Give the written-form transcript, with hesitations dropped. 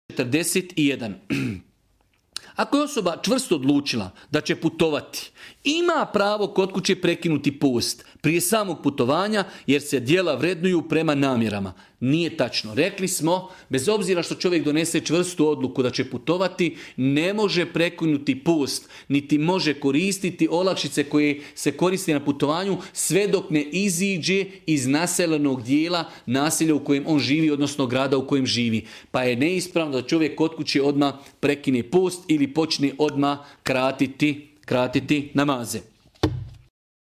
41. Ako je osoba čvrsto odlučila da će putovati, ima pravo kod kuće prekinuti post prije samog putovanja jer se djela vrednuju prema namjerama. Nije tačno. Rekli smo, bez obzira što čovjek donese čvrstu odluku da će putovati, ne može prekinuti post, niti može koristiti olakšice koje se koriste na putovanju sve dok ne iziđe iz naseljenog dijela naselja u kojem on živi, odnosno grada u kojem živi. Pa je neispravno da čovjek kod kuće odmah prekine post ili počne odmah kratiti namaze.